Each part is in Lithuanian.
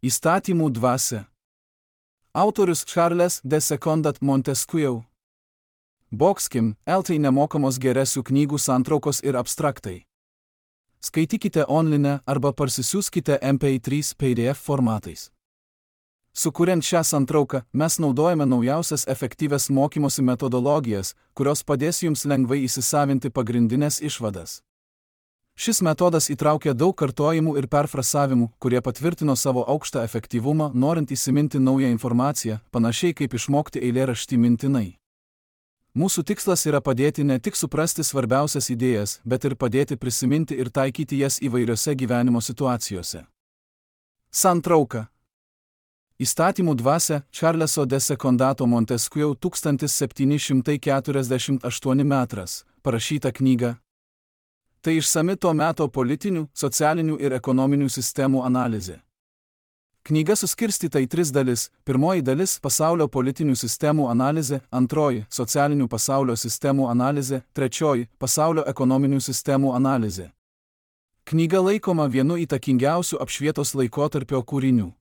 Įstatymų dvasia. Autorius Charles de Secondat Montesquieu. Bokskim, LT nemokamos geresių knygų santraukos ir abstraktai. Skaitykite online arba parsisiųskite MP3 PDF formatais. Sukuriant šią santrauką, mes naudojame naujausias efektyvias mokymosi metodologijas, kurios padės jums lengvai įsisavinti pagrindinės išvadas. Šis metodas įtraukia daug kartojimų ir perfrasavimų, kurie patvirtino savo aukštą efektyvumą, norint įsiminti naują informaciją, panašiai kaip išmokti eilėraštį mintinai. Mūsų tikslas yra padėti ne tik suprasti svarbiausias idėjas, bet ir padėti prisiminti ir taikyti jas įvairiose gyvenimo situacijose. Santrauka. Įstatymų dvasia Charleso de Secondato Montesquieu 1748 metras, parašyta knyga. Tai išsami to meto politinių, socialinių ir ekonominių sistemų analizė. Knyga suskirstyta į 3 dalis. Pirmoji dalis – pasaulio politinių sistemų analizė, antroji – socialinių pasaulio sistemų analizė, trečioji – pasaulio ekonominių sistemų analizė. Knyga laikoma vienu įtakingiausių apšvietos laikotarpio kūrinių.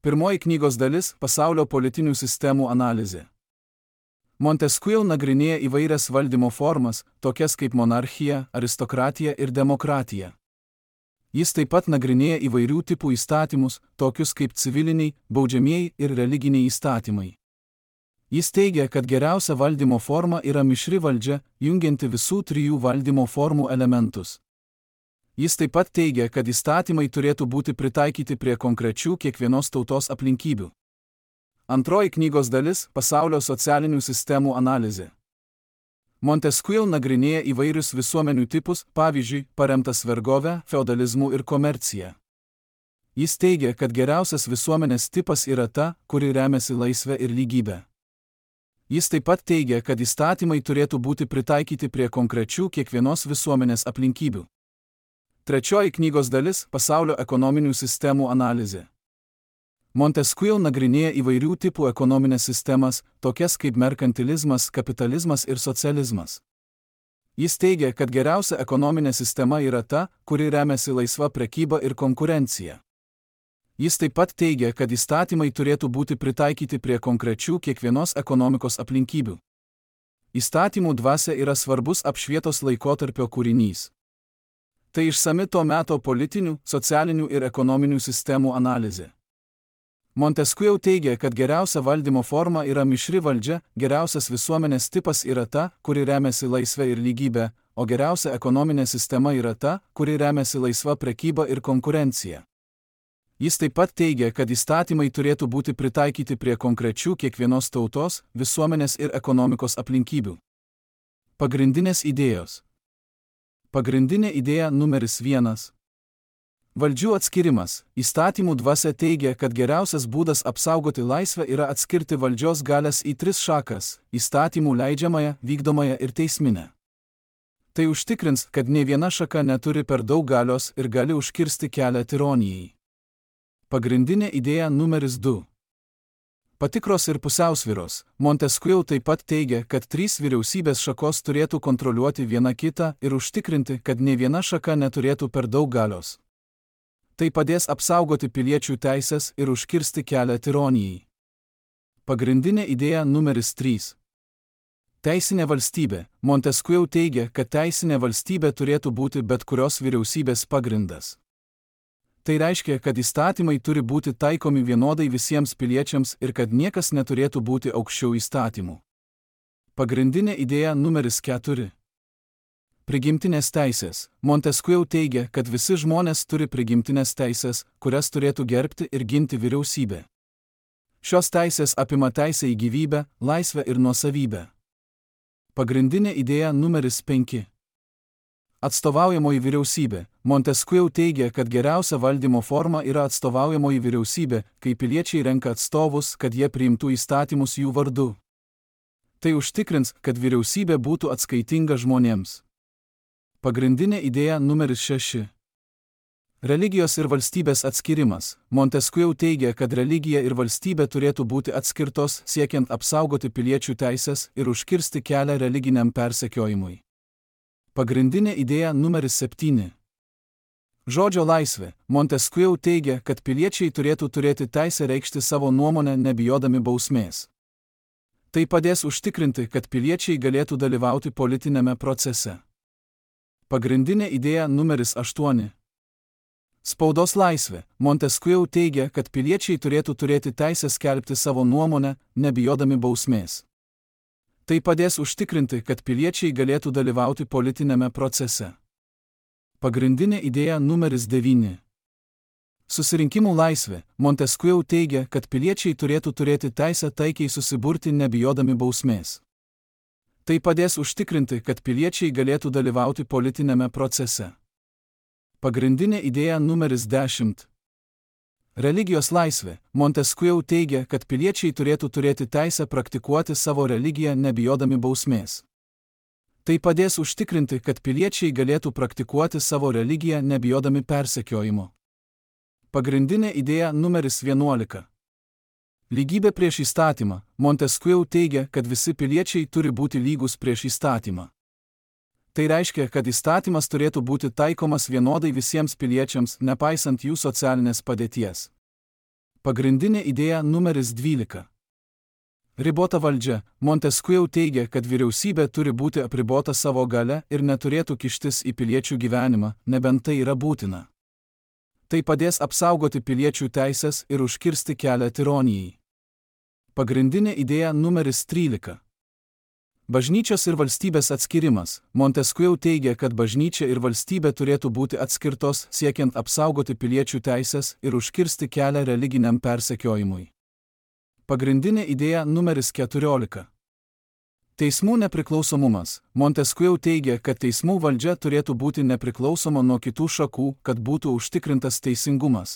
Pirmoji knygos dalis – pasaulio politinių sistemų analizė. Montesquieu nagrinėja įvairias valdymo formas, tokias kaip monarchija, aristokratija ir demokratija. Jis taip pat nagrinėja įvairių tipų įstatymus, tokius kaip civiliniai, baudžiamieji ir religiniai įstatymai. Jis teigia, kad geriausia valdymo forma yra mišri valdžia, jungianti visų 3 valdymo formų elementus. Jis taip pat teigia, kad įstatymai turėtų būti pritaikyti prie konkrečių kiekvienos tautos aplinkybių. Antroji knygos dalis – pasaulio socialinių sistemų analizė. Montesquieu nagrinėja įvairius visuomenių tipus, pavyzdžiui, paremtas vergovę, feodalizmu ir komercija. Jis teigia, kad geriausias visuomenės tipas yra ta, kuri remiasi laisvę ir lygybę. Jis taip pat teigia, kad įstatymai turėtų būti pritaikyti prie konkrečių kiekvienos visuomenės aplinkybių. Trečioji knygos dalis – pasaulio ekonominių sistemų analizė. Montesquieu nagrinėja įvairių tipų ekonominės sistemas, tokias kaip merkantilizmas, kapitalizmas ir socializmas. Jis teigia, kad geriausia ekonominė sistema yra ta, kuri remiasi laisva prekyba ir konkurencija. Jis taip pat teigia, kad įstatymai turėtų būti pritaikyti prie konkrečių kiekvienos ekonomikos aplinkybių. Įstatymų dvasia yra svarbus apšvietos laikotarpio kūrinys. Tai išsami to meto politinių, socialinių ir ekonominių sistemų analizė. Montesquieu teigia, kad geriausia valdymo forma yra mišri valdžia, geriausias visuomenės tipas yra ta, kuri remiasi laisvę ir lygybę, o geriausia ekonominė sistema yra ta, kuri remiasi laisva prekyba ir konkurencija. Jis taip pat teigia, kad įstatymai turėtų būti pritaikyti prie konkrečių kiekvienos tautos, visuomenės ir ekonomikos aplinkybių. Pagrindinės idėjos. Pagrindinė idėja numeris 1. Valdžių atskirimas. Įstatymų dvasia teigia, kad geriausias būdas apsaugoti laisvę yra atskirti valdžios galias į 3 šakas – įstatymų leidžiamąją, vykdomąją ir teisminę. Tai užtikrins, kad nė viena šaka neturi per daug galios ir gali užkirsti kelią tironijai. Pagrindinė idėja numeris 2. Patikros ir pusiausvyros. Montesquieu taip pat teigia, kad 3 vyriausybės šakos turėtų kontroliuoti viena kitą ir užtikrinti, kad nė viena šaka neturėtų per daug galios. Tai padės apsaugoti piliečių teisės ir užkirsti kelią tironijai. Pagrindinė idėja numeris 3. Teisinė valstybė. Montesquieu teigia, kad teisinė valstybė turėtų būti bet kurios vyriausybės pagrindas. Tai reiškia, kad įstatymai turi būti taikomi vienodai visiems piliečiams ir kad niekas neturėtų būti aukščiau įstatymų. Pagrindinė idėja numeris 4. Prigimtinės teisės. Montesquieu teigia, kad visi žmonės turi prigimtinės teisės, kurias turėtų gerbti ir ginti vyriausybė. Šios teisės apima teisę į gyvybę, laisvę ir nuosavybę. Pagrindinė idėja numeris 5. Atstovaujamoji vyriausybė. Montesquieu teigia, kad geriausia valdymo forma yra atstovaujamoji vyriausybė, kai piliečiai renka atstovus, kad jie priimtų įstatymus jų vardu. Tai užtikrins, kad vyriausybė būtų atskaitinga žmonėms. Pagrindinė idėja numeris 6. Religijos ir valstybės atskirimas. Montesquieu teigia, kad religija ir valstybė turėtų būti atskirtos, siekiant apsaugoti piliečių teisės ir užkirsti kelią religiniam persekiojimui. Pagrindinė idėja numeris 7. Žodžio laisvė. Montesquieu teigia, kad piliečiai turėtų turėti teisę reikšti savo nuomonę nebijodami bausmės. Tai padės užtikrinti, kad piliečiai galėtų dalyvauti politinėme procese. Pagrindinė idėja numeris 8. Spaudos laisvė. Montesquieu teigia, kad piliečiai turėtų turėti teisę skelbti savo nuomonę, nebijodami bausmės. Tai padės užtikrinti, kad piliečiai galėtų dalyvauti politinėme procese. Pagrindinė idėja numeris 9. Susirinkimų laisvė. Montesquieu teigia, kad piliečiai turėtų turėti teisę taikiai susiburti nebijodami bausmės. Tai padės užtikrinti, kad piliečiai galėtų dalyvauti politinėme procese. Pagrindinė idėja numeris 10. Religijos laisvė. Montesquieu teigia, kad piliečiai turėtų turėti teisę praktikuoti savo religiją nebijodami bausmės. Tai padės užtikrinti, kad piliečiai galėtų praktikuoti savo religiją nebijodami persekiojimo. Pagrindinė idėja numeris 11. Lygybė prieš įstatymą. Montesquieu teigia, kad visi piliečiai turi būti lygus prieš įstatymą. Tai reiškia, kad įstatymas turėtų būti taikomas vienodai visiems piliečiams, nepaisant jų socialinės padėties. Pagrindinė idėja numeris 12. Ribota valdžia. Montesquieu teigia, kad vyriausybė turi būti apribota savo galia ir neturėtų kištis į piliečių gyvenimą, nebent tai yra būtina. Tai padės apsaugoti piliečių teisės ir užkirsti kelią tironijai. Pagrindinė idėja numeris 13. Bažnyčios ir valstybės atskirimas. Montesquieu teigia, kad bažnyčia ir valstybė turėtų būti atskirtos, siekiant apsaugoti piliečių teisės ir užkirsti kelią religiniam persekiojimui. Pagrindinė idėja numeris 14. Teismų nepriklausomumas. Montesquieu teigia, kad teismų valdžia turėtų būti nepriklausoma nuo kitų šakų, kad būtų užtikrintas teisingumas.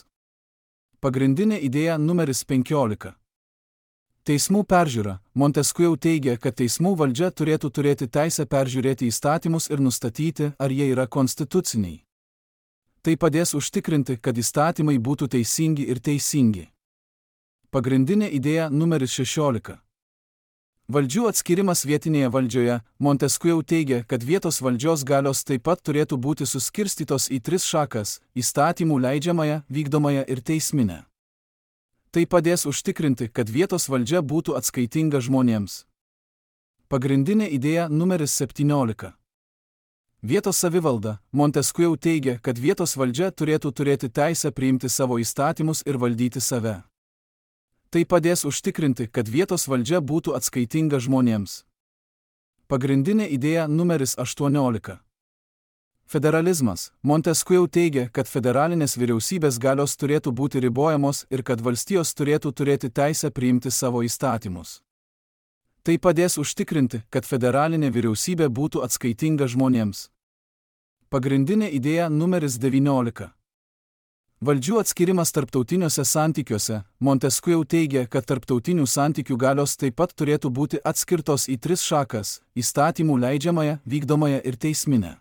Pagrindinė idėja numeris 15. Teismų peržiūra. Montesquieu teigia, kad teismų valdžia turėtų turėti teisę peržiūrėti įstatymus ir nustatyti, ar jie yra konstituciniai. Tai padės užtikrinti, kad įstatymai būtų teisingi ir teisingi. Pagrindinė idėja numeris 16. Valdžių atskirimas vietinėje valdžioje. Montesquieu teigia, kad vietos valdžios galios taip pat turėtų būti suskirstytos į 3 šakas – įstatymų leidžiamąją, vykdomąją ir teisminę. Tai padės užtikrinti, kad vietos valdžia būtų atskaitinga žmonėms. Pagrindinė idėja numeris 17. Vietos savivalda. Montesquieu teigia, kad vietos valdžia turėtų turėti teisę priimti savo įstatymus ir valdyti save. Tai padės užtikrinti, kad vietos valdžia būtų atskaitinga žmonėms. Pagrindinė idėja numeris 18. Federalizmas. Montesquieu teigia, kad federalinės vyriausybės galios turėtų būti ribojamos ir kad valstijos turėtų turėti teisę priimti savo įstatymus. Tai padės užtikrinti, kad federalinė vyriausybė būtų atskaitinga žmonėms. Pagrindinė idėja numeris 19. Valdžių atskirimas tarptautiniuose santykiuose. Montesquieu teigia, kad tarptautinių santykių galios taip pat turėtų būti atskirtos į 3 šakas – įstatymų leidžiamąją, vykdomąją ir teisminę.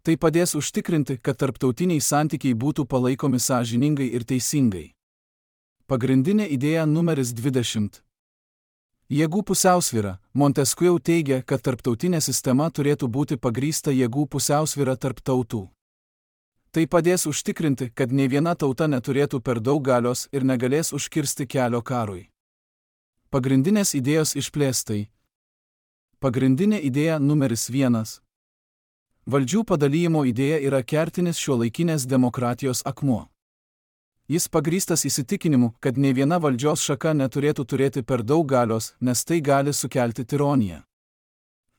Tai padės užtikrinti, kad tarptautiniai santykiai būtų palaikomi sąžiningai ir teisingai. Pagrindinė idėja numeris 20. Jėgų pusiausvyra. Montesquieu teigia, kad tarptautinė sistema turėtų būti pagrįsta jėgų pusiausvyra tarp tautų. Tai padės užtikrinti, kad nei viena tauta neturėtų per daug galios ir negalės užkirsti kelio karui. Pagrindinės idėjos išplėstai. Pagrindinė idėja numeris 1. Valdžių padalijimo idėja yra kertinis šiuolaikinės demokratijos akmuo. Jis pagrįstas įsitikinimu, kad nei viena valdžios šaka neturėtų turėti per daug galios, nes tai gali sukelti tironiją.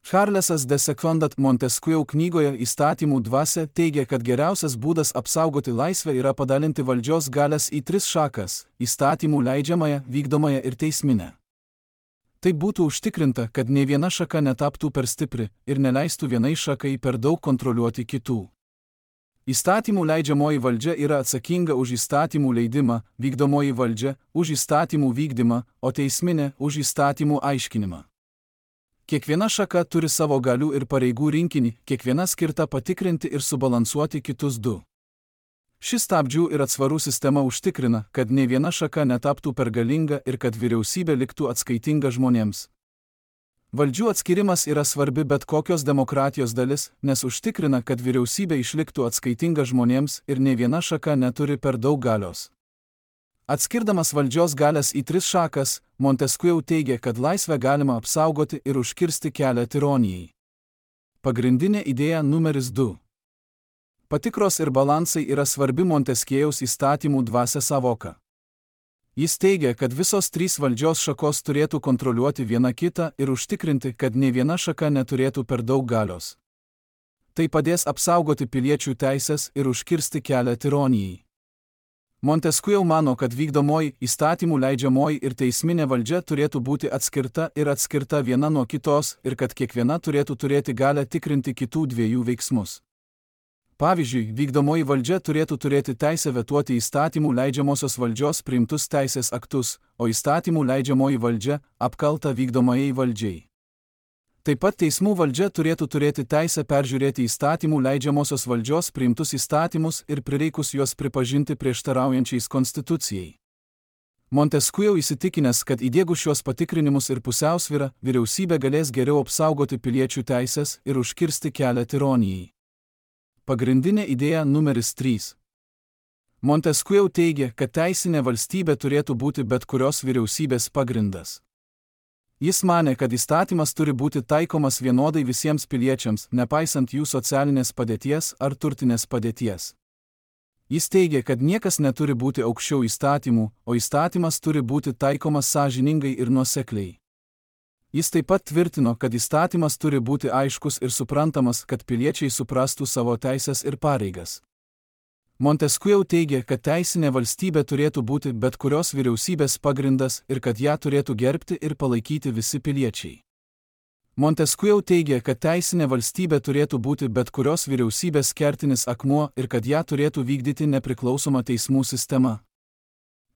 Charlesas de Secondat Montesquieu knygoje Įstatymų dvasia teigia, kad geriausias būdas apsaugoti laisvę yra padalinti valdžios galias į 3 šakas – įstatymų leidžiamąją, vykdomąją ir teisminę. Tai būtų užtikrinta, kad nei viena šaka netaptų per stipri ir neleistų vienai šakai per daug kontroliuoti kitų. Įstatymų leidžiamoji valdžia yra atsakinga už įstatymų leidimą, vykdomoji valdžia – už įstatymų vykdymą, o teisminė – už įstatymų aiškinimą. Kiekviena šaka turi savo galių ir pareigų rinkinį, kiekviena skirta patikrinti ir subalansuoti kitus 2. Ši stabdžių ir atsvarų sistema užtikrina, kad nei viena šaka netaptų per galinga ir kad vyriausybė liktų atskaitinga žmonėms. Valdžių atskirimas yra svarbi bet kokios demokratijos dalis, nes užtikrina, kad vyriausybė išliktų atskaitinga žmonėms ir nei viena šaka neturi per daug galios. Atskirdamas valdžios galias į 3 šakas, Montesquieu teigia, kad laisvę galima apsaugoti ir užkirsti kelią tironijai. Pagrindinė idėja numeris 2. Patikros ir balansai yra svarbi Montesquiejaus įstatymų dvasia savoka. Jis teigia, kad visos 3 valdžios šakos turėtų kontroliuoti viena kitą ir užtikrinti, kad nei viena šaka neturėtų per daug galios. Tai padės apsaugoti piliečių teisės ir užkirsti kelią tironijai. Montesquieu mano, kad vykdomoji, įstatymų leidžiamoji ir teisminė valdžia turėtų būti atskirta viena nuo kitos ir kad kiekviena turėtų turėti galią tikrinti kitų 2 veiksmus. Pavyzdžiui, vykdomoji valdžia turėtų turėti teisę vetuoti įstatymų leidžiamosios valdžios priimtus teisės aktus, o įstatymų leidžiamoji valdžia apkalta vykdomajai valdžiai. Taip pat teismų valdžia turėtų turėti teisę peržiūrėti įstatymų leidžiamosios valdžios priimtus įstatymus ir prireikus juos pripažinti prieštaraujančiais konstitucijai. Montesquieu įsitikinęs, kad įdiegus šiuos patikrinimus ir pusiausvyrą, vyriausybė galės geriau apsaugoti piliečių teisės ir užkirsti kelią tironijai. Pagrindinė idėja numeris 3. Montesquieu teigia, kad teisinė valstybė turėtų būti bet kurios vyriausybės pagrindas. Jis manė, kad įstatymas turi būti taikomas vienodai visiems piliečiams, nepaisant jų socialinės padėties ar turtinės padėties. Jis teigia, kad niekas neturi būti aukščiau įstatymų, o įstatymas turi būti taikomas sąžiningai ir nuosekliai. Jis taip pat tvirtino, kad įstatymas turi būti aiškus ir suprantamas, kad piliečiai suprastų savo teisės ir pareigas. Montesquieu teigia, kad teisinė valstybė turėtų būti bet kurios vyriausybės pagrindas ir kad ją turėtų gerbti ir palaikyti visi piliečiai. Montesquieu teigia, kad teisinė valstybė turėtų būti bet kurios vyriausybės kertinis akmuo ir kad ją turėtų vykdyti nepriklausoma teismų sistema.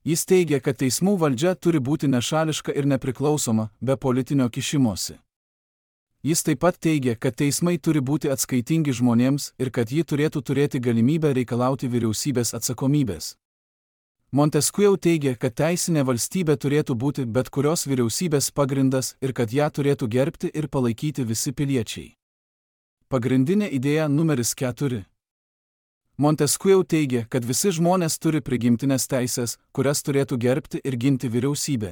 Jis teigia, kad teismų valdžia turi būti nešališka ir nepriklausoma, be politinio kišimosi. Jis taip pat teigia, kad teismai turi būti atskaitingi žmonėms ir kad ji turėtų turėti galimybę reikalauti vyriausybės atsakomybės. Montesquieu teigia, kad teisinė valstybė turėtų būti bet kurios vyriausybės pagrindas ir kad ją turėtų gerbti ir palaikyti visi piliečiai. Pagrindinė idėja numeris 4. Montesquieu teigia, kad visi žmonės turi prigimtinės teisės, kurias turėtų gerbti ir ginti vyriausybė.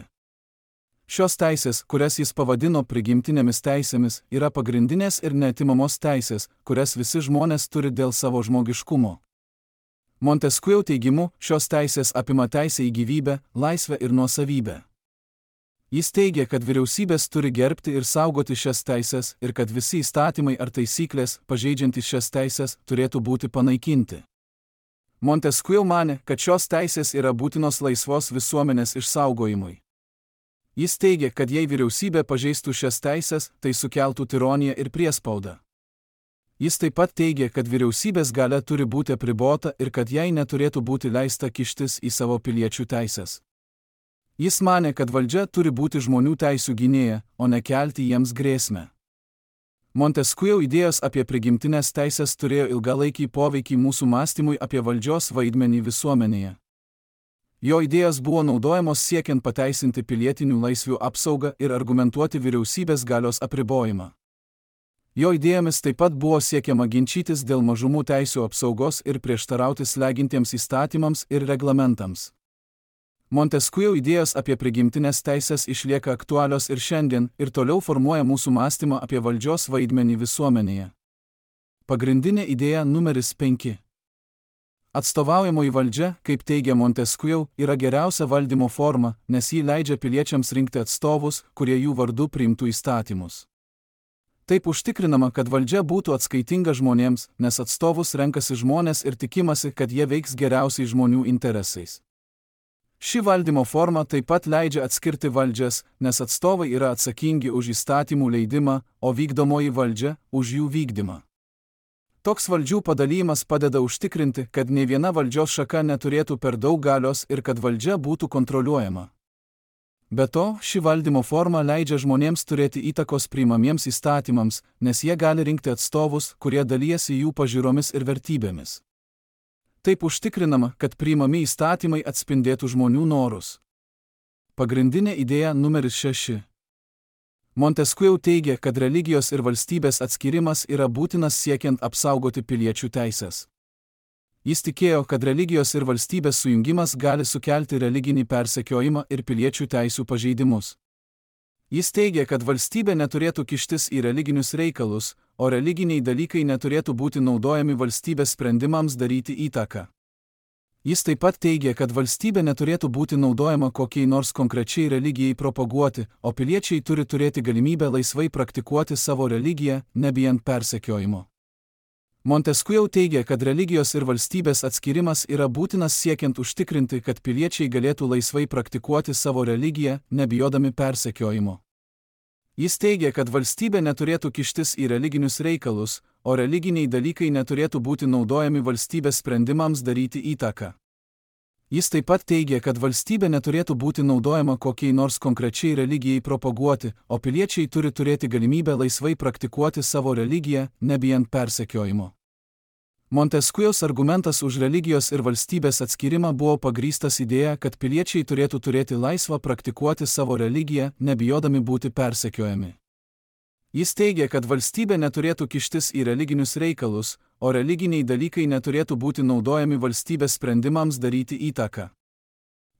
Šios teisės, kurias jis pavadino prigimtinėmis teisėmis, yra pagrindinės ir neatimamos teisės, kurias visi žmonės turi dėl savo žmogiškumo. Montesquieu teigimu, šios teisės apima teisę į gyvybę, laisvę ir nuosavybę. Jis teigia, kad vyriausybės turi gerbti ir saugoti šias teisės ir kad visi įstatymai ar taisyklės, pažeidžiantys šias teisės, turėtų būti panaikinti. Montesquieu manė, kad šios teisės yra būtinos laisvos visuomenės išsaugojimui. Jis teigia, kad jei vyriausybė pažeistų šias teisės, tai sukeltų tironiją ir priespaudą. Jis taip pat teigia, kad vyriausybės galia turi būti apribota ir kad jai neturėtų būti leista kištis į savo piliečių teisės. Jis manė, kad valdžia turi būti žmonių teisių gynėja, o ne kelti jiems grėsmę. Montesquieu idėjos apie prigimtinės teisės turėjo ilgalaikį poveikį mūsų mąstymui apie valdžios vaidmenį visuomenėje. Jo idėjos buvo naudojamos siekiant pateisinti pilietinių laisvių apsaugą ir argumentuoti vyriausybės galios apribojimą. Jo idėjomis taip pat buvo siekiama ginčytis dėl mažumų teisių apsaugos ir prieštarauti slegintiems įstatymams ir reglamentams. Montesquieu idėjos apie prigimtinės teisės išlieka aktualios ir šiandien ir toliau formuoja mūsų mąstymą apie valdžios vaidmenį visuomenėje. Pagrindinė idėja numeris 5. Atstovaujamoji valdžia, kaip teigia Montesquieu, yra geriausia valdymo forma, nes ji leidžia piliečiams rinkti atstovus, kurie jų vardu priimtų įstatymus. Taip užtikrinama, kad valdžia būtų atskaitinga žmonėms, nes atstovus renkasi žmonės ir tikimasi, kad jie veiks geriausiai žmonių interesais. Ši valdymo forma taip pat leidžia atskirti valdžias, nes atstovai yra atsakingi už įstatymų leidimą, o vykdomoji valdžia už jų vykdymą. Toks valdžių padalymas padeda užtikrinti, kad nei viena valdžios šaka neturėtų per daug galios ir kad valdžia būtų kontroliuojama. Be to, ši valdymo forma leidžia žmonėms turėti įtakos priimamiems įstatymams, nes jie gali rinkti atstovus, kurie dalijasi jų pažiūromis ir vertybėmis. Taip užtikrinama, kad priimami įstatymai atspindėtų žmonių norus. Pagrindinė idėja numeris 6. Montesquieu teigia, kad religijos ir valstybės atskirimas yra būtinas siekiant apsaugoti piliečių teises. Jis tikėjo, kad religijos ir valstybės sujungimas gali sukelti religinį persekiojimą ir piliečių teisių pažeidimus. Jis teigia, kad valstybė neturėtų kištis į religinius reikalus, o religiniai dalykai neturėtų būti naudojami valstybės sprendimams daryti įtaką. Jis taip pat teigia, kad valstybė neturėtų būti naudojama kokiai nors konkrečiai religijai propaguoti, o piliečiai turi turėti galimybę laisvai praktikuoti savo religiją, nebijant persekiojimo. Montesquieu teigia, kad religijos ir valstybės atskirimas yra būtinas siekiant užtikrinti, kad piliečiai galėtų laisvai praktikuoti savo religiją, nebijodami persekiojimo. Jis teigia, kad valstybė neturėtų kištis į religinius reikalus, o religiniai dalykai neturėtų būti naudojami valstybės sprendimams daryti įtaką. Jis taip pat teigia, kad valstybė neturėtų būti naudojama kokiai nors konkrečiai religijai propaguoti, o piliečiai turi turėti galimybę laisvai praktikuoti savo religiją, nebijant persekiojimo. Montesquieus argumentas už religijos ir valstybės atskirimą buvo pagrįstas idėja, kad piliečiai turėtų turėti laisvą praktikuoti savo religiją, nebijodami būti persekiojami. Jis teigia, kad valstybė neturėtų kištis į religinius reikalus, o religiniai dalykai neturėtų būti naudojami valstybės sprendimams daryti įtaką.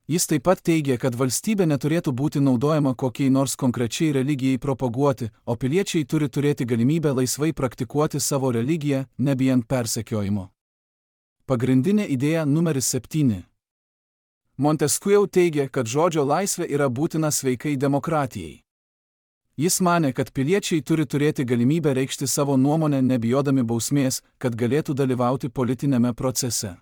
Jis taip pat teigia, kad valstybė neturėtų būti naudojama kokiai nors konkrečiai religijai propaguoti, o piliečiai turi turėti galimybę laisvai praktikuoti savo religiją, nebijant persekiojimo. Pagrindinė idėja numeris 7. Montesquieu teigia, kad žodžio laisvė yra būtina sveikai demokratijai. Jis manė, kad piliečiai turi turėti galimybę reikšti savo nuomonę nebijodami bausmės, kad galėtų dalyvauti politinėme procese.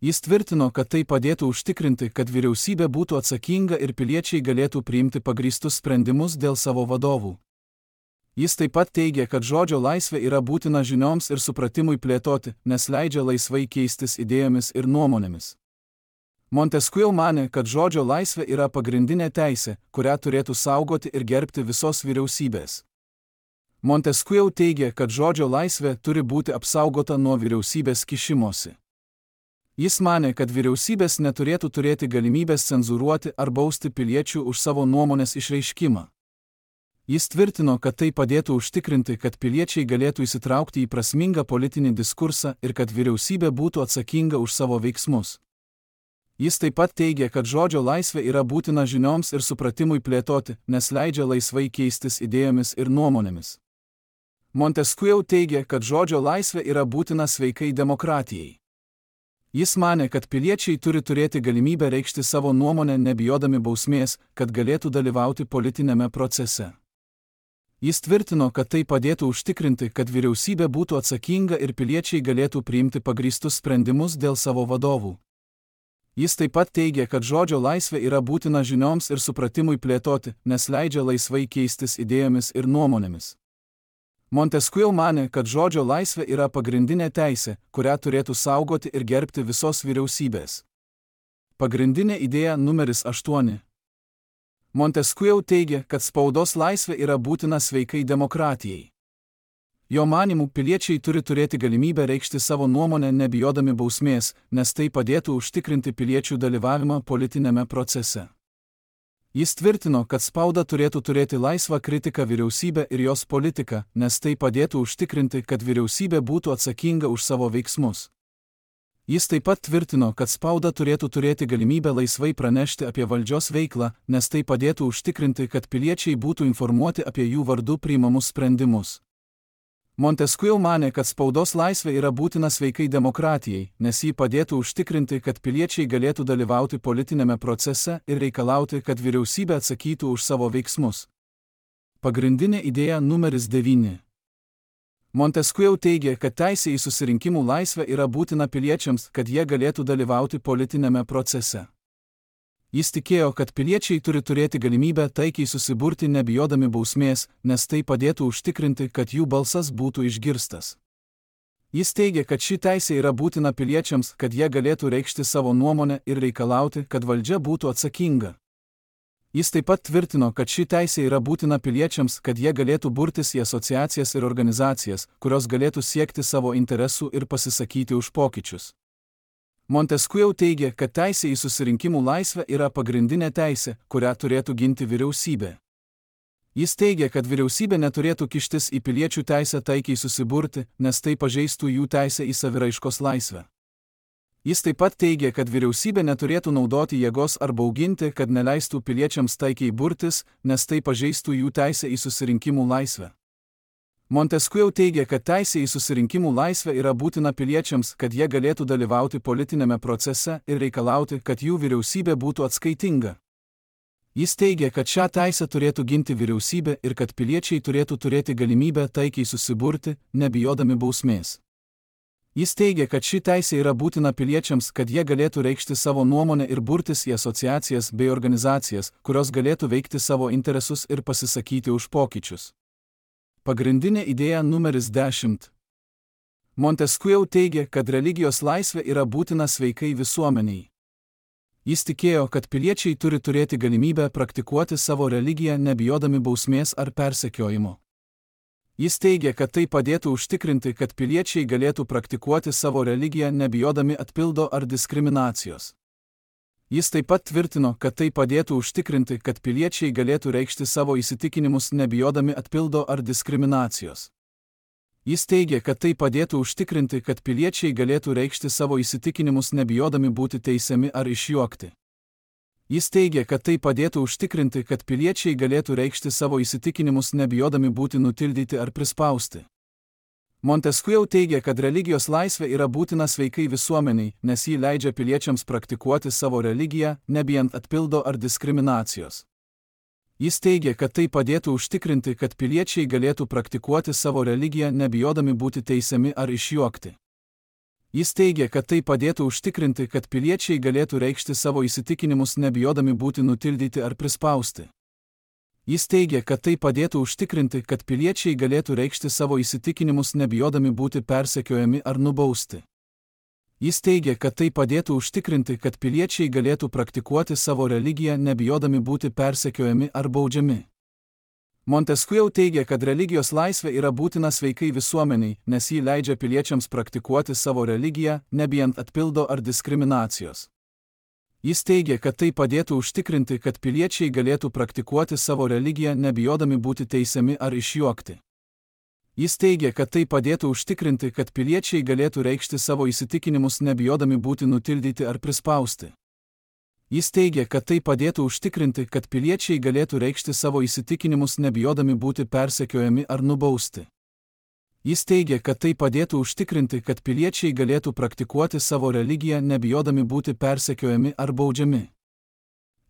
Jis tvirtino, kad tai padėtų užtikrinti, kad vyriausybė būtų atsakinga ir piliečiai galėtų priimti pagrįstus sprendimus dėl savo vadovų. Jis taip pat teigia, kad žodžio laisvė yra būtina žinioms ir supratimui plėtoti, nes leidžia laisvai keistis idėjomis ir nuomonėmis. Montesquieu manė, kad žodžio laisvė yra pagrindinė teisė, kurią turėtų saugoti ir gerbti visos vyriausybės. Montesquieu teigia, kad žodžio laisvė turi būti apsaugota nuo vyriausybės kišimosi. Jis manė, kad vyriausybės neturėtų turėti galimybės cenzūruoti ar bausti piliečių už savo nuomonės išreiškimą. Jis tvirtino, kad tai padėtų užtikrinti, kad piliečiai galėtų įsitraukti į prasmingą politinį diskursą ir kad vyriausybė būtų atsakinga už savo veiksmus. Jis taip pat teigia, kad žodžio laisvė yra būtina žinioms ir supratimui plėtoti, nes leidžia laisvai keistis idėjomis ir nuomonėmis. Montesquieu teigia, kad žodžio laisvė yra būtina sveikai demokratijai. Jis manė, kad piliečiai turi turėti galimybę reikšti savo nuomonę nebijodami bausmės, kad galėtų dalyvauti politinėme procese. Jis tvirtino, kad tai padėtų užtikrinti, kad vyriausybė būtų atsakinga ir piliečiai galėtų priimti pagrįstus sprendimus dėl savo vadovų. Jis taip pat teigia, kad žodžio laisvė yra būtina žinioms ir supratimui plėtoti, nes leidžia laisvai keistis idėjomis ir nuomonėmis. Montesquieu manė, kad žodžio laisvė yra pagrindinė teisė, kurią turėtų saugoti ir gerbti visos vyriausybės. Pagrindinė idėja numeris 8. Montesquieu teigia, kad spaudos laisvė yra būtina sveikai demokratijai. Jo manymu, piliečiai turi turėti galimybę reikšti savo nuomonę nebijodami bausmės, nes tai padėtų užtikrinti piliečių dalyvavimą politinėme procese. Jis tvirtino, kad spauda turėtų turėti laisvą kritiką vyriausybę ir jos politiką, nes tai padėtų užtikrinti, kad vyriausybė būtų atsakinga už savo veiksmus. Jis taip pat tvirtino, kad spauda turėtų turėti galimybę laisvai pranešti apie valdžios veiklą, nes tai padėtų užtikrinti, kad piliečiai būtų informuoti apie jų vardu priimamus sprendimus. Montesquieu manė, kad spaudos laisvė yra būtina sveikai demokratijai, nes ji padėtų užtikrinti, kad piliečiai galėtų dalyvauti politinėme procese ir reikalauti, kad vyriausybė atsakytų už savo veiksmus. Pagrindinė idėja numeris 9. Montesquieu teigia, kad teisė į susirinkimų laisvę yra būtina piliečiams, kad jie galėtų dalyvauti politinėme procese. Jis tikėjo, kad piliečiai turi turėti galimybę taikiai susiburti nebijodami bausmės, nes tai padėtų užtikrinti, kad jų balsas būtų išgirstas. Jis teigia, kad ši teisė yra būtina piliečiams, kad jie galėtų reikšti savo nuomonę ir reikalauti, kad valdžia būtų atsakinga. Jis taip pat tvirtino, kad ši teisė yra būtina piliečiams, kad jie galėtų burtis į asociacijas ir organizacijas, kurios galėtų siekti savo interesų ir pasisakyti už pokyčius. Montesquieu teigia, kad teisė į susirinkimų laisvę yra pagrindinė teisė, kurią turėtų ginti vyriausybė. Jis teigia, kad vyriausybė neturėtų kištis į piliečių teisę taikiai susiburti, nes tai pažeistų jų teisę į saviraiškos laisvę. Jis taip pat teigia, kad vyriausybė neturėtų naudoti jėgos ar bauginti, kad neleistų piliečiams taikiai burtis, nes tai pažeistų jų teisę į susirinkimų laisvę. Montesquieu teigia, kad teisė į susirinkimų laisvę yra būtina piliečiams, kad jie galėtų dalyvauti politinėme procese ir reikalauti, kad jų vyriausybė būtų atskaitinga. Jis teigia, kad šią teisę turėtų ginti vyriausybė ir kad piliečiai turėtų turėti galimybę taikiai susiburti, nebijodami bausmės. Jis teigia, kad ši teisė yra būtina piliečiams, kad jie galėtų reikšti savo nuomonę ir burtis į asociacijas bei organizacijas, kurios galėtų veikti savo interesus ir pasisakyti už pokyčius. Pagrindinė idėja numeris 10. Montesquieu teigia, kad religijos laisvė yra būtina sveikai visuomeniai. Jis tikėjo, kad piliečiai turi turėti galimybę praktikuoti savo religiją nebijodami bausmės ar persekiojimo. Jis teigia, kad tai padėtų užtikrinti, kad piliečiai galėtų praktikuoti savo religiją nebijodami atpildo ar diskriminacijos. Jis taip pat tvirtino, kad tai padėtų užtikrinti, kad piliečiai galėtų reikšti savo įsitikinimus nebijodami atpildo ar diskriminacijos. Jis teigia, kad tai padėtų užtikrinti, kad piliečiai galėtų reikšti savo įsitikinimus nebijodami būti teisiami ar išjuokti. Jis teigia, kad tai padėtų užtikrinti, kad piliečiai galėtų reikšti savo įsitikinimus nebijodami būti nutildyti ar prispausti. Montesquieu teigia, kad religijos laisvė yra būtina sveikai visuomeniai, nes ji leidžia piliečiams praktikuoti savo religiją, nebijant atpildo ar diskriminacijos. Jis teigia, kad tai padėtų užtikrinti, kad piliečiai galėtų praktikuoti savo religiją nebijodami būti teisiami ar išjuokti. Jis teigia, kad tai padėtų užtikrinti, kad piliečiai galėtų reikšti savo įsitikinimus nebijodami būti nutildyti ar prispausti. Jis teigia, kad tai padėtų užtikrinti, kad piliečiai galėtų reikšti savo įsitikinimus nebijodami būti persekiojami ar nubausti. Jis teigia, kad tai padėtų užtikrinti, kad piliečiai galėtų praktikuoti savo religiją nebijodami būti persekiojami ar baudžiami. Montesquieu teigia, kad religijos laisvė yra būtina sveikai visuomeniai, nes ji leidžia piliečiams praktikuoti savo religiją, nebijant atpildo ar diskriminacijos. Jis teigia, kad tai padėtų užtikrinti, kad piliečiai galėtų praktikuoti savo religiją nebijodami būti teisiami ar išjuokti. Jis teigia, kad tai padėtų užtikrinti, kad piliečiai galėtų reikšti savo įsitikinimus nebijodami būti nutildyti ar prispausti. Jis teigia, kad tai padėtų užtikrinti, kad piliečiai galėtų reikšti savo įsitikinimus nebijodami būti persekiojami ar nubausti. Jis teigia, kad tai padėtų užtikrinti, kad piliečiai galėtų praktikuoti savo religiją nebijodami būti persekiojami ar baudžiami.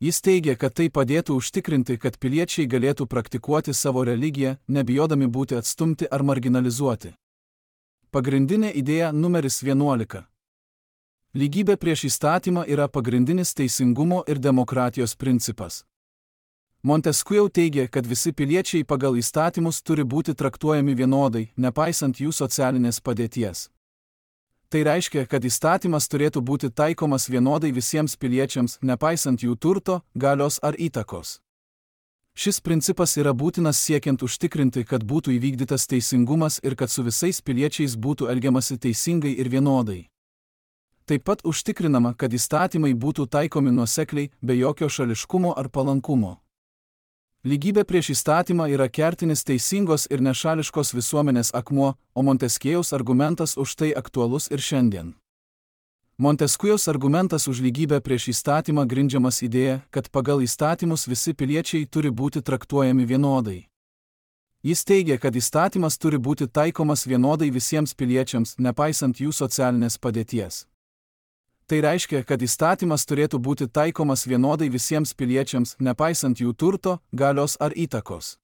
Jis teigia, kad tai padėtų užtikrinti, kad piliečiai galėtų praktikuoti savo religiją, nebijodami būti atstumti ar marginalizuoti. Pagrindinė idėja numeris 11. Lygybė prieš įstatymą yra pagrindinis teisingumo ir demokratijos principas. Montesquieu teigia, kad visi piliečiai pagal įstatymus turi būti traktuojami vienodai, nepaisant jų socialinės padėties. Tai reiškia, kad įstatymas turėtų būti taikomas vienodai visiems piliečiams, nepaisant jų turto, galios ar įtakos. Šis principas yra būtinas siekiant užtikrinti, kad būtų įvykdytas teisingumas ir kad su visais piliečiais būtų elgiamasi teisingai ir vienodai. Taip pat užtikrinama, kad įstatymai būtų taikomi nuosekliai, be jokio šališkumo ar palankumo. Lygybė prieš įstatymą yra kertinis teisingos ir nešališkos visuomenės akmuo, o Montesquiejaus argumentas už tai aktualus ir šiandien. Montesquiejaus argumentas už lygybę prieš įstatymą grindžiamas idėja, kad pagal įstatymus visi piliečiai turi būti traktuojami vienodai. Jis teigia, kad įstatymas turi būti taikomas vienodai visiems piliečiams, nepaisant jų socialinės padėties. Tai reiškia, kad įstatymas turėtų būti taikomas vienodai visiems piliečiams, nepaisant jų turto, galios ar įtakos.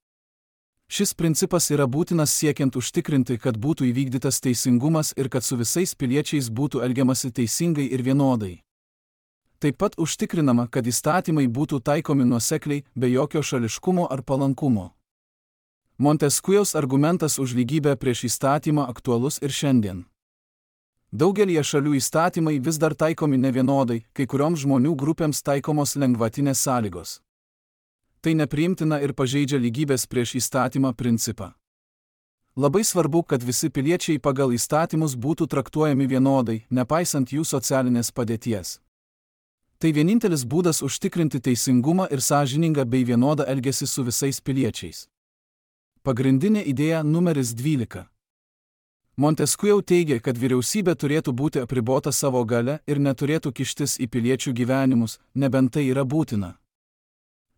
Šis principas yra būtinas siekiant užtikrinti, kad būtų įvykdytas teisingumas ir kad su visais piliečiais būtų elgiamasi teisingai ir vienodai. Taip pat užtikrinama, kad įstatymai būtų taikomi nuosekliai, be jokio šališkumo ar palankumo. Montesquiejaus argumentas už lygybę prieš įstatymą aktualus ir šiandien. Daugelie šalių įstatymai vis dar taikomi nevienodai, kai kurioms žmonių grupėms taikomos lengvatinės sąlygos. Tai nepriimtina ir pažeidžia lygybės prieš įstatymą principą. Labai svarbu, kad visi piliečiai pagal įstatymus būtų traktuojami vienodai, nepaisant jų socialinės padėties. Tai vienintelis būdas užtikrinti teisingumą ir sąžiningą bei vienodą elgesį su visais piliečiais. Pagrindinė idėja numeris 12. Montesquieu teigia, kad vyriausybė turėtų būti apribota savo gale ir neturėtų kištis į piliečių gyvenimus, nebent tai yra būtina.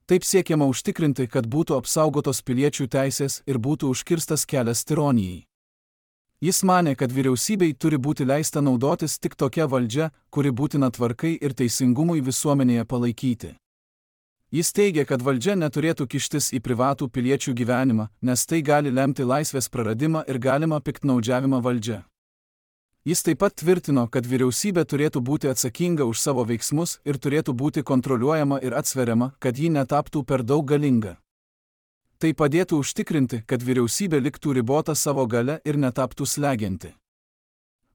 Taip siekiama užtikrinti, kad būtų apsaugotos piliečių teisės ir būtų užkirstas kelias tironijai. Jis manė, kad vyriausybei turi būti leista naudotis tik tokia valdžia, kuri būtina tvarkai ir teisingumui visuomenėje palaikyti. Jis teigia, kad valdžia neturėtų kištis į privatų piliečių gyvenimą, nes tai gali lemti laisvės praradimą ir galimą piktnaudžiavimą valdžia. Jis taip pat tvirtino, kad vyriausybė turėtų būti atsakinga už savo veiksmus ir turėtų būti kontroliuojama ir atsveriama, kad ji netaptų per daug galinga. Tai padėtų užtikrinti, kad vyriausybė liktų ribota savo gale ir netaptų slegianti.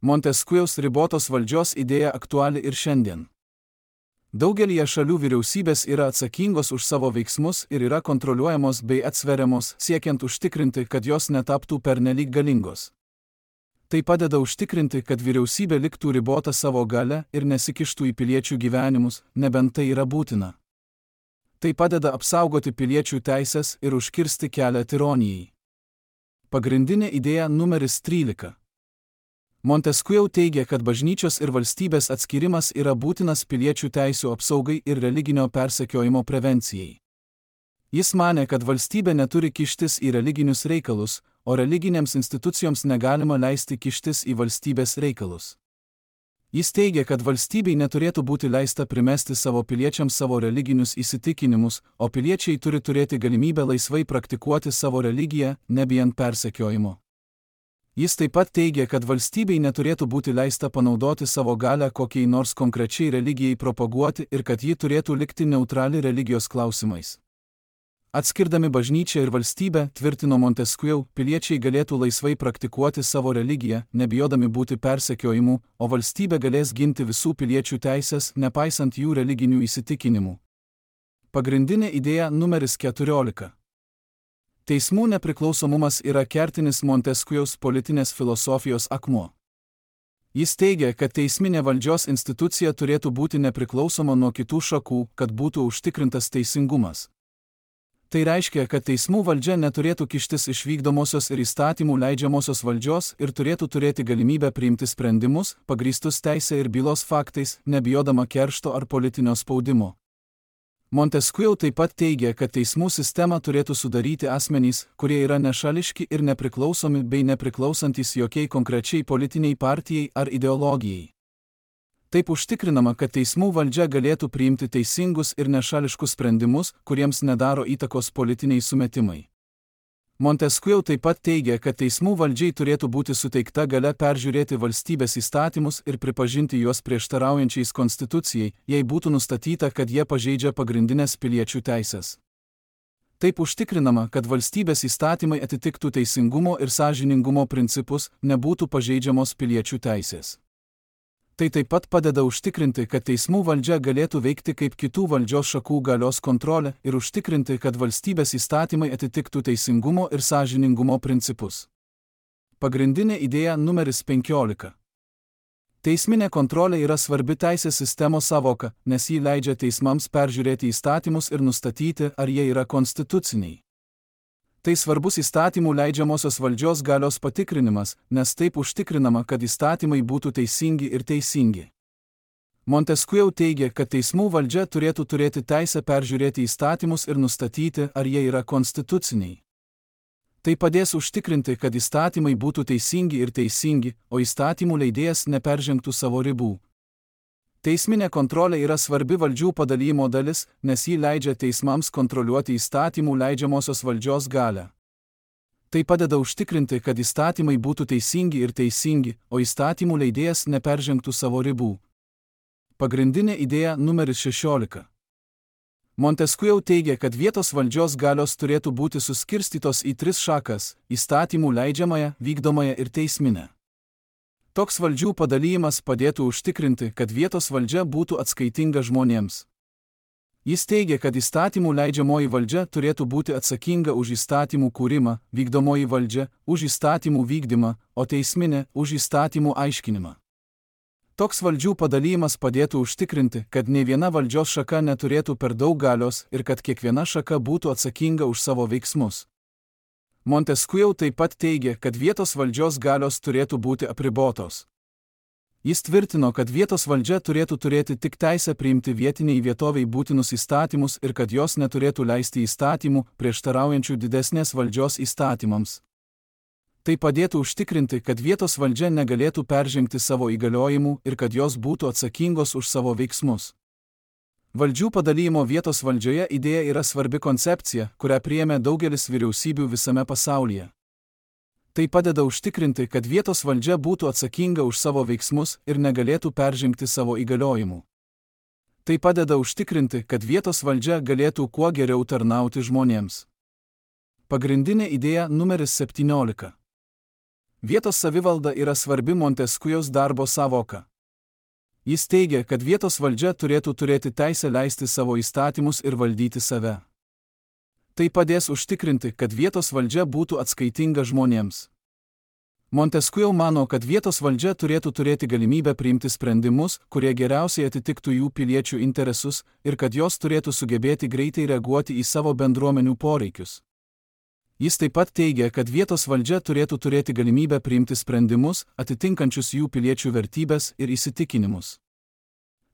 Montesquieu's ribotos valdžios idėja aktuali ir šiandien. Daugelįje šalių vyriausybės yra atsakingos už savo veiksmus ir yra kontroliuojamos bei atsveriamos, siekiant užtikrinti, kad jos netaptų pernelyg galingos. Tai padeda užtikrinti, kad vyriausybė liktų ribota savo gale ir nesikištų į piliečių gyvenimus, nebent tai yra būtina. Tai padeda apsaugoti piliečių teisės ir užkirsti kelią tironijai. Pagrindinė idėja numeris 13. Montesquieu teigia, kad bažnyčios ir valstybės atskirimas yra būtinas piliečių teisių apsaugai ir religinio persekiojimo prevencijai. Jis manė, kad valstybė neturi kištis į religinius reikalus, o religinėms institucijoms negalima leisti kištis į valstybės reikalus. Jis teigia, kad valstybei neturėtų būti leista primesti savo piliečiams savo religinius įsitikinimus, o piliečiai turi turėti galimybę laisvai praktikuoti savo religiją, nebijant persekiojimo. Jis taip pat teigia, kad valstybei neturėtų būti leista panaudoti savo galią kokiai nors konkrečiai religijai propaguoti ir kad ji turėtų likti neutrali religijos klausimais. Atskirdami bažnyčią ir valstybę, tvirtino Montesquieu, piliečiai galėtų laisvai praktikuoti savo religiją, nebijodami būti persekiojimų, o valstybė galės ginti visų piliečių teisės, nepaisant jų religinių įsitikinimų. Pagrindinė idėja numeris 14. Teismų nepriklausomumas yra kertinis Montesquieu's politinės filosofijos akmuo. Jis teigia, kad teisminė valdžios institucija turėtų būti nepriklausoma nuo kitų šakų, kad būtų užtikrintas teisingumas. Tai reiškia, kad teismų valdžia neturėtų kištis iš vykdomosios ir įstatymų leidžiamosios valdžios ir turėtų turėti galimybę priimti sprendimus, pagrįstus teisė ir bylos faktais, nebijodama keršto ar politinio spaudimo. Montesquieu taip pat teigia, kad teismų sistemą turėtų sudaryti asmenys, kurie yra nešališki ir nepriklausomi bei nepriklausantis jokiai konkrečiai politiniai partijai ar ideologijai. Taip užtikrinama, kad teismų valdžia galėtų priimti teisingus ir nešališkus sprendimus, kuriems nedaro įtakos politiniai sumetimai. Montesquieu taip pat teigia, kad teismų valdžiai turėtų būti suteikta galia peržiūrėti valstybės įstatymus ir pripažinti juos prieštaraujančiais konstitucijai, jei būtų nustatyta, kad jie pažeidžia pagrindinės piliečių teisės. Taip užtikrinama, kad valstybės įstatymai atitiktų teisingumo ir sąžiningumo principus, nebūtų pažeidžiamos piliečių teisės. Tai taip pat padeda užtikrinti, kad teismų valdžia galėtų veikti kaip kitų valdžios šakų galios kontrolė ir užtikrinti, kad valstybės įstatymai atitiktų teisingumo ir sąžiningumo principus. Pagrindinė idėja numeris 15. Teisminė kontrolė yra svarbi teisės sistemos savoka, nes ji leidžia teismams peržiūrėti įstatymus ir nustatyti, ar jie yra konstituciniai. Tai svarbus įstatymų leidžiamosios valdžios galios patikrinimas, nes taip užtikrinama, kad įstatymai būtų teisingi ir teisingi. Montesquieu teigia, kad teismų valdžia turėtų turėti teisę peržiūrėti įstatymus ir nustatyti, ar jie yra konstituciniai. Tai padės užtikrinti, kad įstatymai būtų teisingi ir teisingi, o įstatymų leidėjas neperžengtų savo ribų. Teisminė kontrolė yra svarbi valdžių padalijimo dalis, nes ji leidžia teismams kontroliuoti įstatymų leidžiamosios valdžios galią. Tai padeda užtikrinti, kad įstatymai būtų teisingi ir teisingi, o įstatymų leidėjas neperžengtų savo ribų. Pagrindinė idėja numeris 16. Montesquieu teigia, kad vietos valdžios galios turėtų būti suskirstytos į 3 šakas – įstatymų leidžiamąją, vykdomąją ir teisminę. Toks valdžių padalyjimas padėtų užtikrinti, kad vietos valdžia būtų atskaitinga žmonėms. Jis teigia, kad įstatymų leidžiamoji valdžia turėtų būti atsakinga už įstatymų kūrimą, vykdomoji valdžia už įstatymų vykdymą, o teisminė už įstatymų aiškinimą. Toks valdžių padalymas padėtų užtikrinti, kad nei viena valdžios šaka neturėtų per daug galios ir kad kiekviena šaka būtų atsakinga už savo veiksmus. Montesquieu taip pat teigė, kad vietos valdžios galios turėtų būti apribotos. Jis tvirtino, kad vietos valdžia turėtų turėti tik teisę priimti vietiniai vietoviai būtinus įstatymus ir kad jos neturėtų leisti įstatymų, prieštaraujančių didesnės valdžios įstatymams. Tai padėtų užtikrinti, kad vietos valdžia negalėtų peržengti savo įgaliojimų ir kad jos būtų atsakingos už savo veiksmus. Valdžių padalymo vietos valdžioje idėja yra svarbi koncepcija, kurią priėmė daugelis vyriausybių visame pasaulyje. Tai padeda užtikrinti, kad vietos valdžia būtų atsakinga už savo veiksmus ir negalėtų peržengti savo įgaliojimų. Tai padeda užtikrinti, kad vietos valdžia galėtų kuo geriau tarnauti žmonėms. Pagrindinė idėja numeris 17. Vietos savivalda yra svarbi Montesquieu'aus darbo sąvoka. Jis teigia, kad vietos valdžia turėtų turėti teisę leisti savo įstatymus ir valdyti save. Tai padės užtikrinti, kad vietos valdžia būtų atskaitinga žmonėms. Montesquieu mano, kad vietos valdžia turėtų turėti galimybę priimti sprendimus, kurie geriausiai atitiktų jų piliečių interesus, ir kad jos turėtų sugebėti greitai reaguoti į savo bendruomenių poreikius. Jis taip pat teigia, kad vietos valdžia turėtų turėti galimybę priimti sprendimus, atitinkančius jų piliečių vertybės ir įsitikinimus.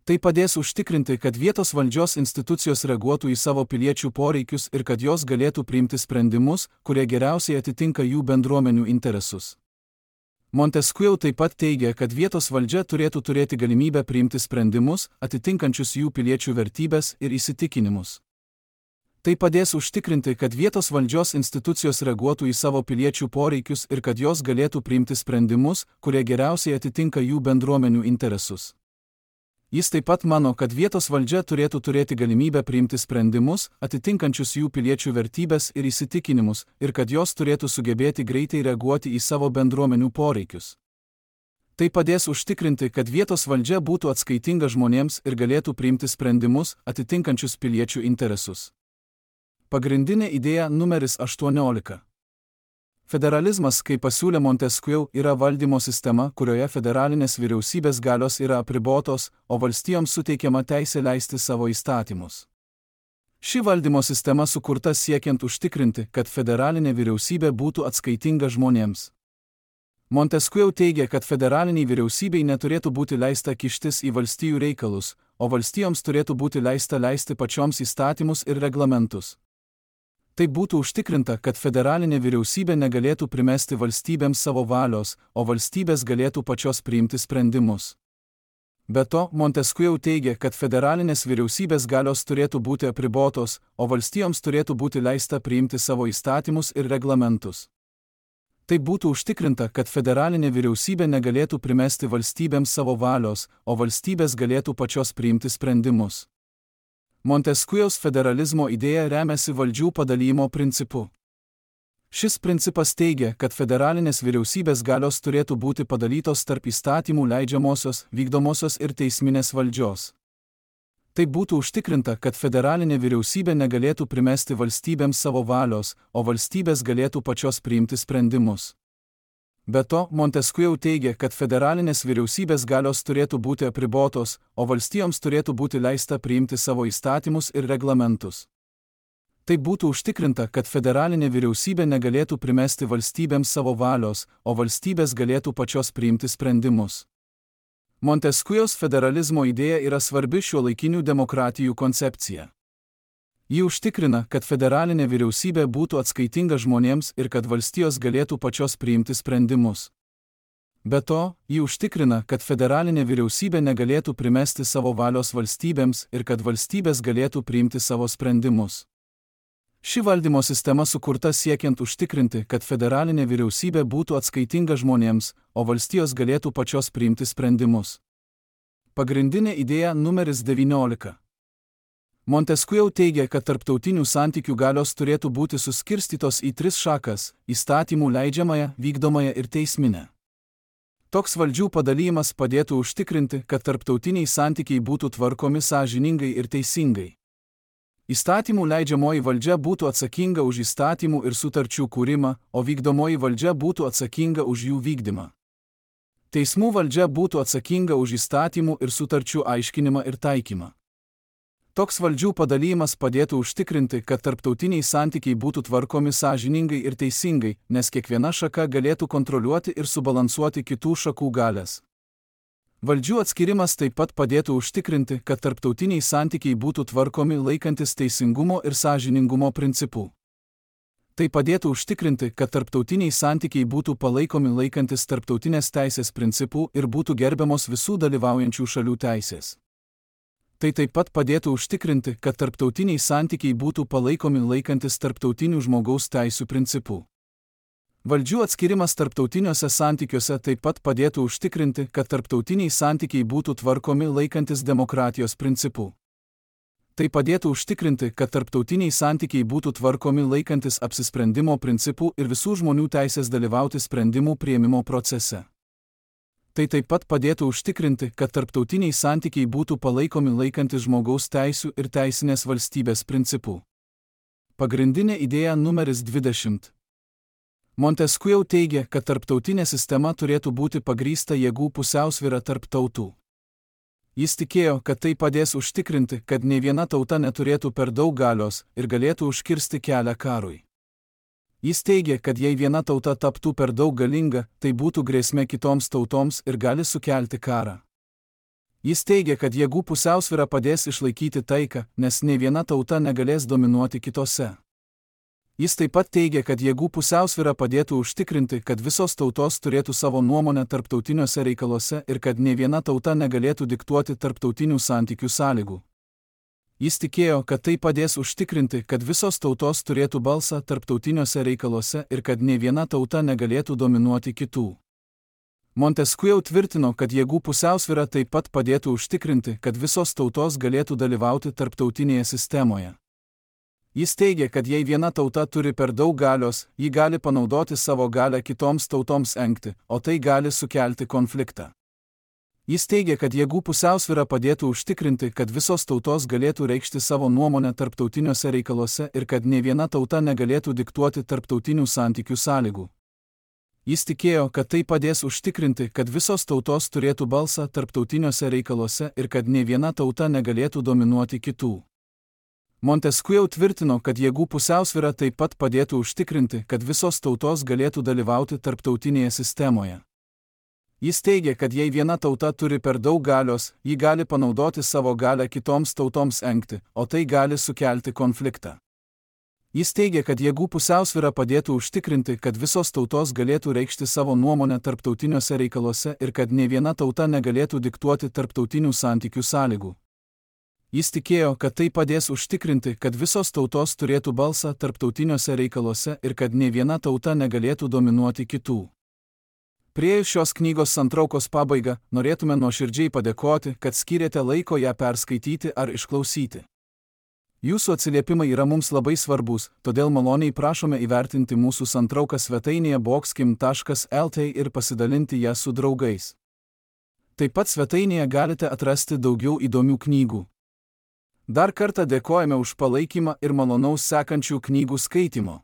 Tai padės užtikrinti, kad vietos valdžios institucijos reaguotų į savo piliečių poreikius ir kad jos galėtų priimti sprendimus, kurie geriausiai atitinka jų bendruomenių interesus. Montesquieu taip pat teigia, kad vietos valdžia turėtų turėti galimybę priimti sprendimus, atitinkančius jų piliečių vertybės ir įsitikinimus. Tai padės užtikrinti, kad vietos valdžios institucijos reaguotų į savo piliečių poreikius ir kad jos galėtų priimti sprendimus, kurie geriausiai atitinka jų bendruomenių interesus. Jis taip pat mano, kad vietos valdžia turėtų turėti galimybę priimti sprendimus, atitinkančius jų piliečių vertybės ir įsitikinimus, ir kad jos turėtų sugebėti greitai reaguoti į savo bendruomenių poreikius. Tai padės užtikrinti, kad vietos valdžia būtų atskaitinga žmonėms ir galėtų priimti sprendimus, atitinkančius piliečių interesus. Pagrindinė idėja numeris 18. Federalizmas, kaip pasiūlė Montesquieu, yra valdymo sistema, kurioje federalinės vyriausybės galios yra apribotos, o valstijoms suteikiama teisė leisti savo įstatymus. Ši valdymo sistema sukurta siekiant užtikrinti, kad federalinė vyriausybė būtų atskaitinga žmonėms. Montesquieu teigia, kad federaliniai vyriausybei neturėtų būti leista kištis į valstijų reikalus, o valstijoms turėtų būti leista leisti pačioms įstatymus ir reglamentus. Tai būtų užtikrinta, kad federalinė vyriausybė negalėtų primesti valstybėms savo valios, o valstybės galėtų pačios priimti sprendimus. Be to, Montesquieu teigia, kad federalinės vyriausybės galios turėtų būti apribotos, o valstijoms turėtų būti leista priimti savo įstatymus ir reglamentus. Tai būtų užtikrinta, kad federalinė vyriausybė negalėtų primesti valstybėms savo valios, o valstybės galėtų pačios priimti sprendimus. Montesquieu'aus federalizmo idėja remiasi valdžių padalymo principu. Šis principas teigia, kad federalinės vyriausybės galios turėtų būti padalytos tarp įstatymų leidžiamosios, vykdomosios ir teisminės valdžios. Tai būtų užtikrinta, kad federalinė vyriausybė negalėtų primesti valstybėms savo valios, o valstybės galėtų pačios priimti sprendimus. Be to, Montesquieu teigia, kad federalinės vyriausybės galios turėtų būti apribotos, o valstijoms turėtų būti leista priimti savo įstatymus ir reglamentus. Tai būtų užtikrinta, kad federalinė vyriausybė negalėtų primesti valstybėms savo valios, o valstybės galėtų pačios priimti sprendimus. Montesquieu'aus federalizmo idėja yra svarbi šiuolaikinių demokratijų koncepcija. Ji užtikrina, kad federalinė vyriausybė būtų atskaitinga žmonėms ir kad valstijos galėtų pačios priimti sprendimus. Be to, ji užtikrina, kad federalinė vyriausybė negalėtų primesti savo valios valstybėms ir kad valstybės galėtų priimti savo sprendimus. Ši valdymo sistema sukurta siekiant užtikrinti, kad federalinė vyriausybė būtų atskaitinga žmonėms, o valstijos galėtų pačios priimti sprendimus. Pagrindinė idėja numeris 19. Montesquieu teigia, kad tarptautinių santykių galios turėtų būti suskirstytos į 3 šakas – įstatymų leidžiamąją, vykdomąją ir teisminę. Toks valdžių padalymas padėtų užtikrinti, kad tarptautiniai santykiai būtų tvarkomi sąžiningai ir teisingai. Įstatymų leidžiamoji valdžia būtų atsakinga už įstatymų ir sutarčių kūrimą, o vykdomoji valdžia būtų atsakinga už jų vykdymą. Teismų valdžia būtų atsakinga už įstatymų ir sutarčių aiškinimą ir taikymą. Toks valdžių padalymas padėtų užtikrinti, kad tarptautiniai santykiai būtų tvarkomi sąžiningai ir teisingai, nes kiekviena šaka galėtų kontroliuoti ir subalansuoti kitų šakų galias. Valdžių atskirimas taip pat padėtų užtikrinti, kad tarptautiniai santykiai būtų tvarkomi laikantis teisingumo ir sąžiningumo principų. Tai padėtų užtikrinti, kad tarptautiniai santykiai būtų palaikomi laikantis tarptautinės teisės principų ir būtų gerbiamos visų dalyvaujančių šalių teisės. Tai taip pat padėtų užtikrinti, kad tarptautiniai santykiai būtų palaikomi laikantis tarptautinių žmogaus teisių principų. Valdžių atskirimas tarptautiniuose santykiuose taip pat padėtų užtikrinti, kad tarptautiniai santykiai būtų tvarkomi laikantis demokratijos principų. Tai padėtų užtikrinti, kad tarptautiniai santykiai būtų tvarkomi laikantis apsisprendimo principų ir visų žmonių teisės dalyvauti sprendimų priėmimo procese. Tai taip pat padėtų užtikrinti, kad tarptautiniai santykiai būtų palaikomi laikantis žmogaus teisių ir teisinės valstybės principų. Pagrindinė idėja numeris 20. Montesquieu teigia, kad tarptautinė sistema turėtų būti pagrįsta jėgų pusiausvyra tarp tautų. Jis tikėjo, kad tai padės užtikrinti, kad nei viena tauta neturėtų per daug galios ir galėtų užkirsti kelią karui. Jis teigia, kad jei viena tauta taptų per daug galinga, tai būtų grėsmė kitoms tautoms ir gali sukelti karą. Jis teigia, kad jėgų pusiausvyra padės išlaikyti taiką, nes nei viena tauta negalės dominuoti kitose. Jis taip pat teigia, kad jėgų pusiausvyra padėtų užtikrinti, kad visos tautos turėtų savo nuomonę tarptautiniuose reikaluose ir kad nei viena tauta negalėtų diktuoti tarptautinių santykių sąlygų. Jis tikėjo, kad tai padės užtikrinti, kad visos tautos turėtų balsą tarptautiniuose reikaluose ir kad nei viena tauta negalėtų dominuoti kitų. Montesquieu tvirtino, kad jėgų pusiausvyra taip pat padėtų užtikrinti, kad visos tautos galėtų dalyvauti tarptautinėje sistemoje. Jis teigia, kad jei viena tauta turi per daug galios, ji gali panaudoti savo galią kitoms tautoms engti, o tai gali sukelti konfliktą. Jis teigia, kad jėgų pusiausvyra padėtų užtikrinti, kad visos tautos galėtų reikšti savo nuomonę tarptautiniuose reikaluose ir kad nei viena tauta negalėtų diktuoti tarptautinių santykių sąlygų. Jis tikėjo, kad tai padės užtikrinti, kad visos tautos turėtų balsą tarptautiniuose reikaluose ir kad nei viena tauta negalėtų dominuoti kitų. Montesquieu tvirtino, kad jėgų pusiausvyra taip pat padėtų užtikrinti, kad visos tautos galėtų dalyvauti tarptautinėje sistemoje. Jis teigia, kad jei viena tauta turi per daug galios, ji gali panaudoti savo galią kitoms tautoms engti, o tai gali sukelti konfliktą. Jis teigia, kad jėgų pusiausvyra padėtų užtikrinti, kad visos tautos galėtų reikšti savo nuomonę tarptautiniuose reikaluose ir kad nei viena tauta negalėtų diktuoti tarptautinių santykių sąlygų. Jis tikėjo, kad tai padės užtikrinti, kad visos tautos turėtų balsą tarptautiniuose reikaluose ir kad nei viena tauta negalėtų dominuoti kitų. Priėjus šios knygos santraukos pabaigą, norėtume nuoširdžiai padėkoti, kad skyrėte laiko ją perskaityti ar išklausyti. Jūsų atsiliepimai yra mums labai svarbus, todėl maloniai prašome įvertinti mūsų santrauką svetainėje boxkim.lt ir pasidalinti ją su draugais. Taip pat svetainėje galite atrasti daugiau įdomių knygų. Dar kartą dėkojame už palaikymą ir malonaus sekančių knygų skaitimo.